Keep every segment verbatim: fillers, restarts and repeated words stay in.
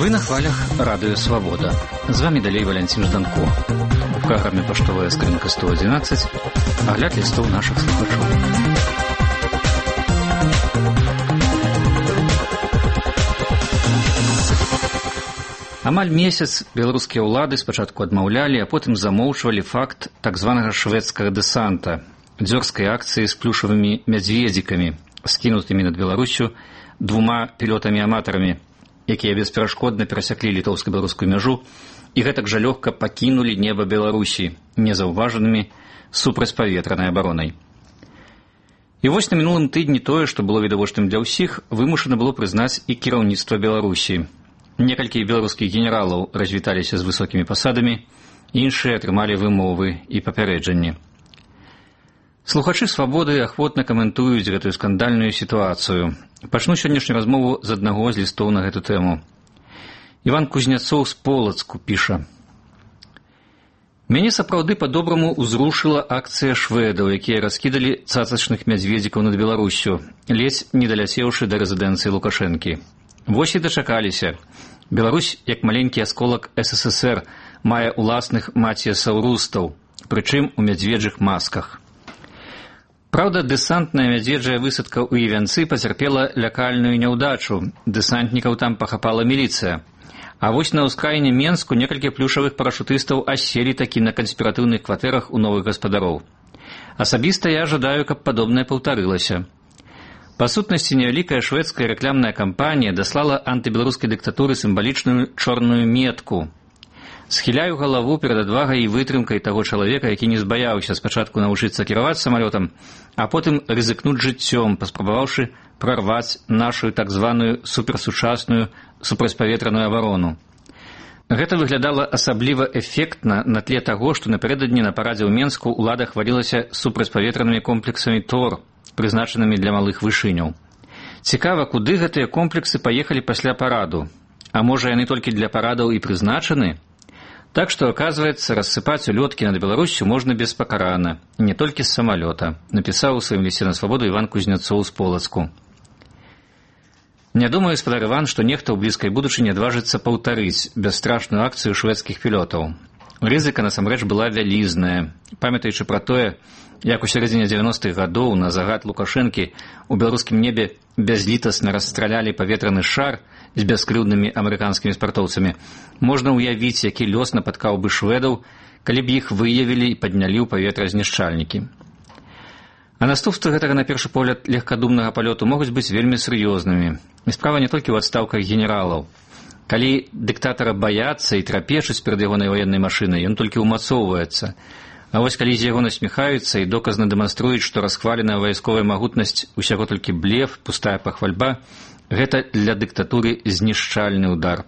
Вы на хвалях Радио Свобода. З вами далей Валентин Жданко. У праграме «Паштовая скрынка сто одиннадцать» агляд лістоў нашых слухачоў. Амаль месяц беларускія ўлады спачатку адмаўлялі, а потым замоўчвалі факт так званага шведскага дэсанта, дзёрзкай акцыі з плюшавымі мядзведзікамі, скінутымі над Беларусю двума пілётамі-аматарамі, якія бесперашкодна перасяклі літоўска-беларускую мяжу і гэтак жа лёгка пакінулі неба Беларусі незаўважанымі супрацьпаветранай абаронай. І вось на мінулым тыдні тое, што было відавочным для ўсіх, вымушана было прызнаць і кіраўніцтва Беларусі. Некалькі беларускіх генералаў развіталіся з высокімі пасадамі, іншыя атрымалі вымовы і папярэджанні. Слухачы «Свабоды» ахвотна каментуюць гэтую скандальную сітуацыю. Пачну сённяшнюю размову з аднаго з лістоў на гэту тэму. Іван Кузняцоў з Полацку піша: «Мяне сапраўды па-добраму ўзрушыла акцыя шведаў, якія раскідалі цацачных мядзведзікаў над Беларусю, ледзь не даляцеўшы да рэзідэнцыі Лукашэнкі. Вось і дачакаліся. Беларусь, як маленькі асколак эс эс эс эр, мае ўласных маціясаўрустаў, прычым у мядзведжых масках. Праўда, дэсантная мядзведжая высадка ў Івянцы пацярпела лякальную няўдачу, дэсантнікаў там пахапала міліцыя. А вось на ўскраіне Менску некалькі плюшавых парашутыстаў аселі такі на канспіратыўных кватэрах у новых гаспадароў. Асабіста я жадаю, каб падобнае паўтарылася. Па сутнасці, невялікая шведская рэкламная кампанія даслала антыбеларускай дыктатуры сімвалічную чорную метку. Схіляю галаву перад адвагай і вытрымкай таго чалавека, які не збаяўся спачатку навучыцца кіраваць самалётам, а потым рызыкнуць жыццём, паспрабаваўшы прарваць нашу так званую суперсучасную супрацьпаветраную абарону. Гэта выглядала асабліва эфектна на тле таго, што напярэдадні на парадзе ў Менску ўлада хвалілася супрацьпаветранымі комплексамі Тор, прызначанымі для малых вышыняў. Цікава, куды гэтыя комплексы паехалі пасля параду? А можа, яны толькі для парадаў і прызначаны? Так што, аказваецца, рассыпаць улёткі над Беларусю можна беспакарана, не толькі з самалёта, напісаў у сваім лісце на Свабоду Іван Кузняцоў з Полацку. Не думаю, спадар Іван, што нехта ў блізкай будучыні адважыцца паўтарыць бясстрашную акцыю шведскіх пілётаў. Рызыка насамрэч была вялізная. Памятаючы пра тое, як у сярэдзіне дзевяностых гадоў на загад Лукашэнкі ў беларускім небе бязлітасна расстралялі паветраны шар з бяскрыўднымі амерыканскімі спартоўцамі, можна ўявіць, які лёс напаткаў бы шведаў, калі б іх выявілі і паднялі ў паветра знішчальнікі. А наступствы гэтага, на першы погляд, легкадумнага палёту могуць быць вельмі сур'ёзнымі. І справа не толькі ў адстаўках генералаў. Калі дыктатара баяцца і трапечуць перад ягонай ваеннай машынай, ён толькі ўмацоўваецца. А вось калі з яго насміхаюцца і доказна дэманструюць, што расхваленая вайсковая магутнасць усяго толькі блеф, пустая пахвальба, гэта для дыктатуры знішчальны ўдар.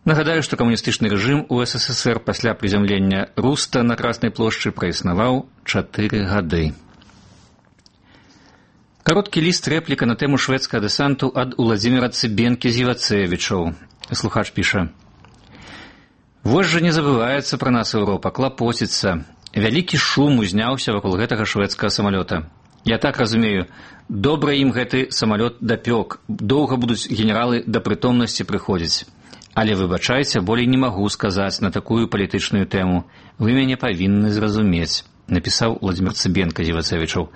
Нагадаю, што камуністычны рэжым у эс эс эс эр пасля прызямлення Руста на Краснай плошчы праіснаваў чатыры гады. Кароткі ліст рэпліка на тэму шведскага дэсанту ад Уладзіміра Цыбенкі-Зівацевічаў. Слухач піша: «Вось жа не забываецца пра нас Еўропа, клапоціцца. Вялікі шум узняўся вакол гэтага шведскага самалёта. Я так разумею, добра ім гэты самалёт дапёк, доўга будуць генералы да прытомнасці прыходзіць. Але, выбачайце, болей не магу сказаць на такую палітычную тэму. Вы мяне павінны зразумець», напісаў Уладзімір Цыбенка-Зівацевічаў.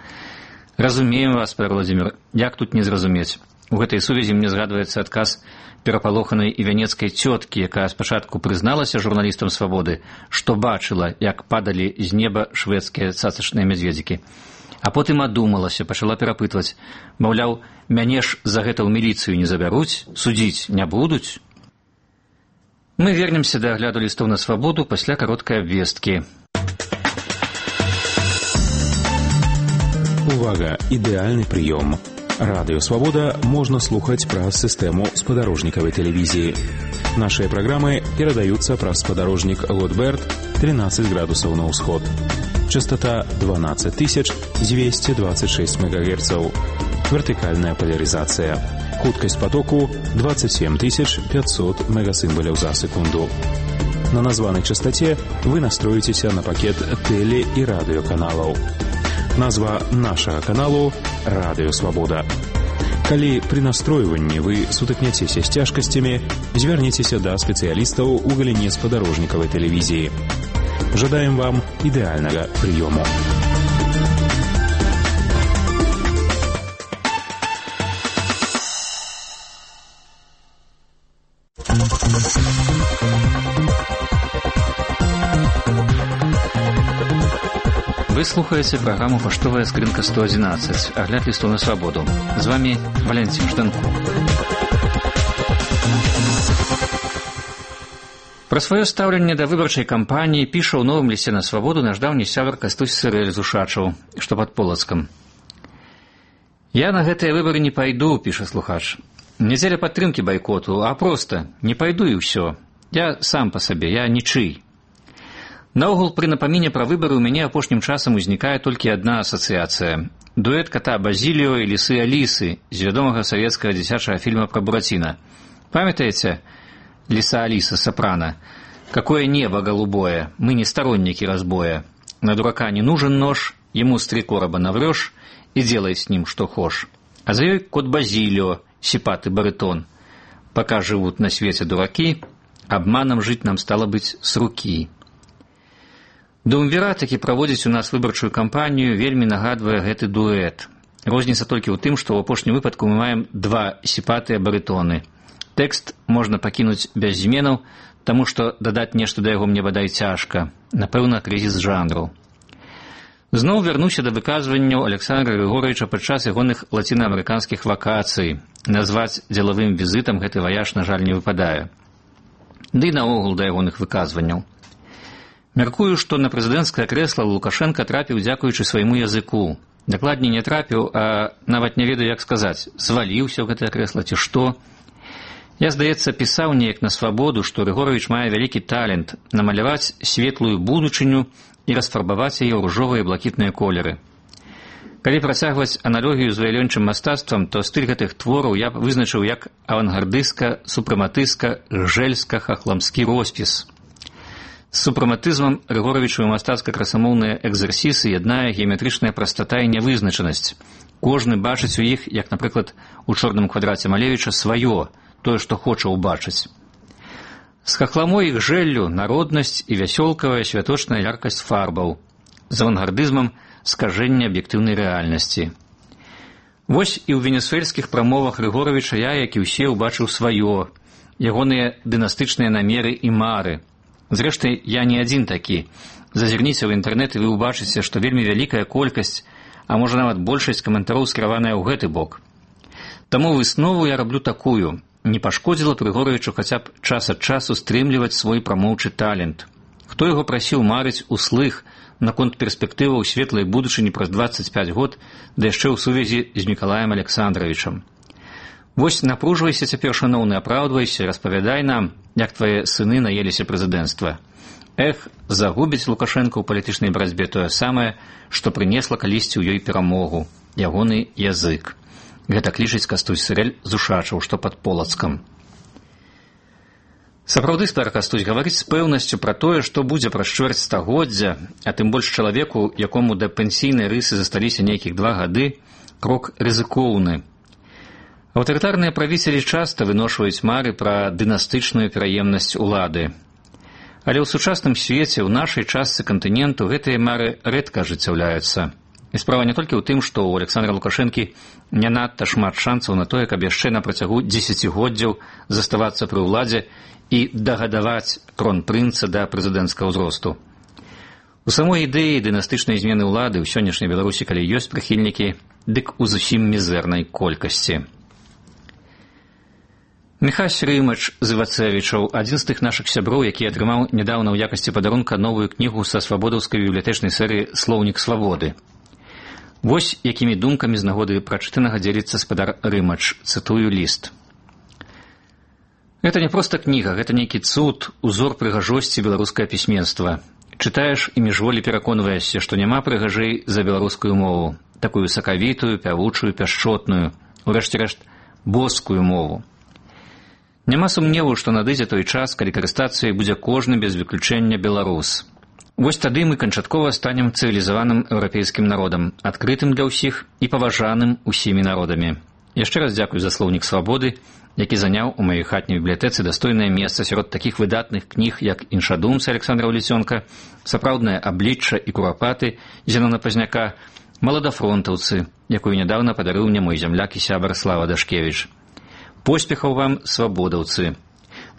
«Разумеем вас, пан Владзімір, як тут не зразумець? У гэтай сувязі мне згадваецца адказ перапалоханай івянецкай цёткі, якая спачатку прызналася журналістам «Свабоды», што бачыла, як падалі з неба шведскія цацачныя мядзведзікі. А потым адумалася, пачала перапытваць, маўляў, мяне ж за гэта ў міліцыю не забяруць, судзіць не будуць? Мы вернемся да агляду лістоў на Свабоду пасля кароткай абвесткі. Увага! Ідэальны прыём. Радыё Свабода можна слухаць праз сістэму спадарожнікавай тэлевізіі. Нашыя праграмы перадаюцца праз спадарожнік Лотберт тринадцать градусаў на ўсход. Частота дванадцать тысяч двести двадцать шесть мегагерцаў. Вертыкальная поляризация. Хуткасць потоку двадцать семь тысяч пятьсот мегасимволяў за секунду. На названай частоте вы настроіцеся на пакет теле- і радыёканалаў. Назва нашага каналу «Радыё Свабода». Калі пры настройванні вы сутыкняцеся з цяжкасцямі, звярніцеся да спецыялістаў у галіне спадарожнікавай тэлевізіі. Жадаем вам ідэальнага прыёму. Вы слухаеце праграму «Паштовая скрынка сто одиннадцать», агляд лістоў на свабоду. З вами Валентин Жданко. Пра сваё стаўленне да выбарчай кампаніі піша ў новым лісце на свабоду наш даўні сябар Кастусь Сырэль з Ушачаў, што пад Полацкам. «Я на гэтыя выбары не пайду», – піша слухач. «Не дзеля падтрымкі байкоту, а проста не пайду і ўсё. Я сам па сабе, я нічый». Наогул, пры напаміне пра выбары ў мяне апошнім часам узнікае толькі адна асацыяцыя. Дуэт кота Базіліо і лісы Алісы з вядомага савецкага дзіцячага фільма пра Бураціна. Памятаеце «Лиса Алиса» Сопрано? «Какое небо голубое, мы не сторонники разбоя. На дурака не нужен нож, ему с три короба наврешь и делай с ним что хошь. А за ёй кот Базилио, сипатый баритон. Пока живут на свете дураки, обманом жить нам стало быть с руки». Думвера такі праводзіць у нас выбарчую кампанію вельмі нагадвае гэты дуэт. Розніца толькі ў тым, што ў апошнім выпадку мы маем два сіпатыя барытоны. Тэкст можна пакінуць без зменаў, таму што дадаць нешта да яго мне бадай цяжка. Напэўна, крызіс жанру. Зноў вярнуся да выказванняў Александра Григоровича падчас ягоных лацінаамерыканскіх вакацый. Назваць дзелавым візітам гэты ваяж, на жаль, не выпадае. Ды і наогул да ягоных выказванняў. Мяркую, што на прэзідэнцкае крэсла Лукашенка трапіў дзякуючы свайму языку. Дакладней не трапіў, а нават не ведаю, як сказаць, зваліўся ў гэтае крэсла ці што. Я, здаецца, пісаў неяк на свабоду, што Рыгорович мае вялікі талент намаляваць светлую будучыню і расфарбаваць яе ў ружовыя і блакітныя колеры. Калі працягваць аналогію з ваялёнчым мастацтвам, то стыль гэтых твораў я б вызначыў як авангардыска, супрэматыска, гжэльска-хахламскі роспіс. З супрэматызмам Рыгоровічу мастацка-красамоўныя экзерсісы яднае геаметрычная прастата і нявызначанасць. Кожны бачыць у іх, як, напрыклад, у чорным квадраце Малевіча, сваё, тое, што хоча ўбачыць. З хахламой і гжэллю народнасць і вясёлкавая святочная яркасць фарбаў. З авангардызмам скажэнне аб'ектыўнай рэальнасці. Вось і ў венесуэльскіх прамовах Рыгоровіча я, як і ўсе, убачыў сваё, ягоныя дынастычныя намеры і мары. Зрэшты, я не адзін такі. Зазірніце ў інтэрнэт і вы ўбачыце, што вельмі вялікая колькасць, а можа нават большасць каментароў скіраваная ў гэты бок. Таму выснову я раблю такую. Не пашкодзіла Рыгоровічу хаця б час ад часу стрымліваць свой прамоўчы талент. Хто яго прасіў марыць услых наконт перспектываў светлай будучыні праз дваццаць пяць год, да яшчэ ў сувязі з Мікалаем Александровичам. Вось напружвайся цяпер, шаноўны, апраўдвайся, распавядай нам, як твае сыны наеліся прэзідэнцтва. Эх, загубіць Лукашенко ў палітычнай барацьбе тое самае, што прынесла калісьці ў ёй перамогу, ягоны язык. Гэта клічыць Кастусь Сырэль з Ушачаў, што пад Полацкам. Сапраўды, стар Кастусь, гаварыць з пэўнасцю пра тое, што будзе праз чвэрць стагоддзя, а тым больш чалавеку, якому да пенсійнай рысы засталіся нейкіх два гады, крок рызыкоўны. Аўтарытарныя правіцелі часта выношваюць мары пра дынастычную пераемнасць улады. Але ў сучасным свеце, ў нашай частцы кантыненту, гэтыя мары рэдка ажыццяўляюцца. І справа не толькі ў тым, што ў Александра Лукашэнкі не надта шмат шанцаў на тое, каб яшчэ на працягу дзесяцігоддзяў заставацца пры ўладзе і дагадаваць кронпрынца да прэзідэнцкага ўзросту. У самой ідэі дынастычнай змены ўлады ў сённяшняй Беларусі, калі ёсць прыхільнікі, дык у зусім мізэрнай колькасці. Міхась Рымач з Івацэвічаў, адзін з тых нашых сяброў, які атрымаў нядаўна ў якасці падарунка новую кнігу са свабодаўскай бібліятэчнай серыі «Слоўнік свабоды». Вось якімі думкамі з нагоды прачытанага дзеліцца спадар Рымач, цытую ліст. Гэта не проста кніга, гэта нейкі цуд, узор прыгажосці беларускае пісьменства. Чытаеш і міжволі пераконваешся, што няма прыгажэй за беларускую мову, такую сакавітую, пявучую, пяшчотную, урэшце рэшт, боскую мову. Няма сумневу, што надыдзе той час, калі карыстацца ёй будзе кожны без выключэння беларус. Вось тады мы канчаткова станем цывілізаваным еўрапейскім народам, адкрытым для ўсіх і паважаным усімі народамі. Яшчэ раз дзякую за слоўнік свабоды, які заняў у маёй хатняй бібліятэцы дастойнае месца сярод такіх выдатных кніг, як «Іншадумцы» Александра Улісёнка, «Сапраўднае аблічча» і «Курапаты» Зенона Пазняка, «Маладафронтаўцы», якую нядаўна падарыў мне мой зямляк і сябар Слава Дашкевіч. Поспехаў вам, свабодаўцы!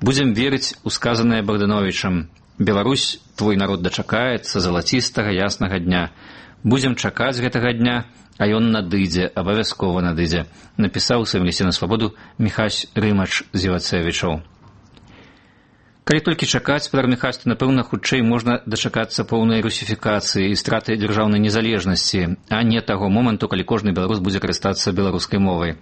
Будзем верыць у сказанае Богдановичам. Беларусь, твой народ дачакаецца залацістага яснага дня. Будзем чакаць гэтага дня, а ён надыдзе, абавязкова надыдзе, напісаў у сваім лісце на свабоду Міхась Рымач з Івацевічаў. Калі толькі чакаць, спадар Міхась, то, напэўна, хутчэй можна дачакацца поўнай русіфікацыі і страты дзяржаўнай незалежнасці, а не таго моманту, калі кожны беларус будзе карыстацца беларускай мовай.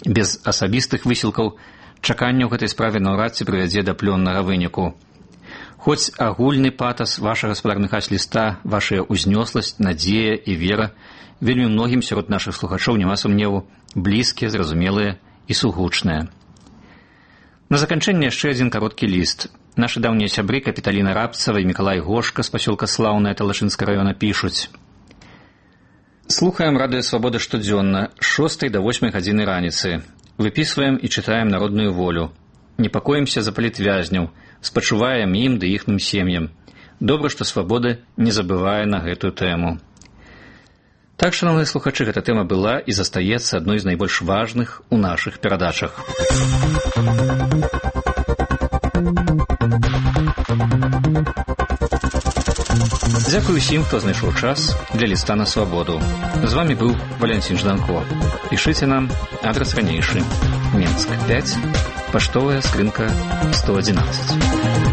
Без асабістых высілкаў чаканне ў гэтай справе наўрад ці прывядзе да плённага выніку. Хоць агульны патас вашага, спадар Міхась, ліста, вашая ўзнёсласць, надзея і вера вельмі многім сярод нашых слухачоў, няма сумневу, блізкія, зразумелыя і сугучныя. На заканчэнне яшчэ адзін кароткі ліст. Нашы даўнія сябры Капіталіна Рабцава і Мікалай Гошка з пасёлка Слаўнае Талашынскага раёна пішуць. Слухаем радыё «Свабода» штодзённа, з шостай да восьмай гадзіны раніцы. Выпісваем і чытаем народную волю. Непакоімся за палітвязняў, спачуваем ім ды іхным сем'ям. Добра, што «Свабода» не забывае на гэтую тэму. Так, шановныя слухачы, гэта тэма была і застаецца адной з найбольш важных у нашых перадачах. Дзякую усім, хто знайшоў час для ліста на свабоду. З вамі быў Валянцін Жданко. Пішыце нам, адрас ранейшы. Менск пяць, паштовая скрынка сто адзінаццаць.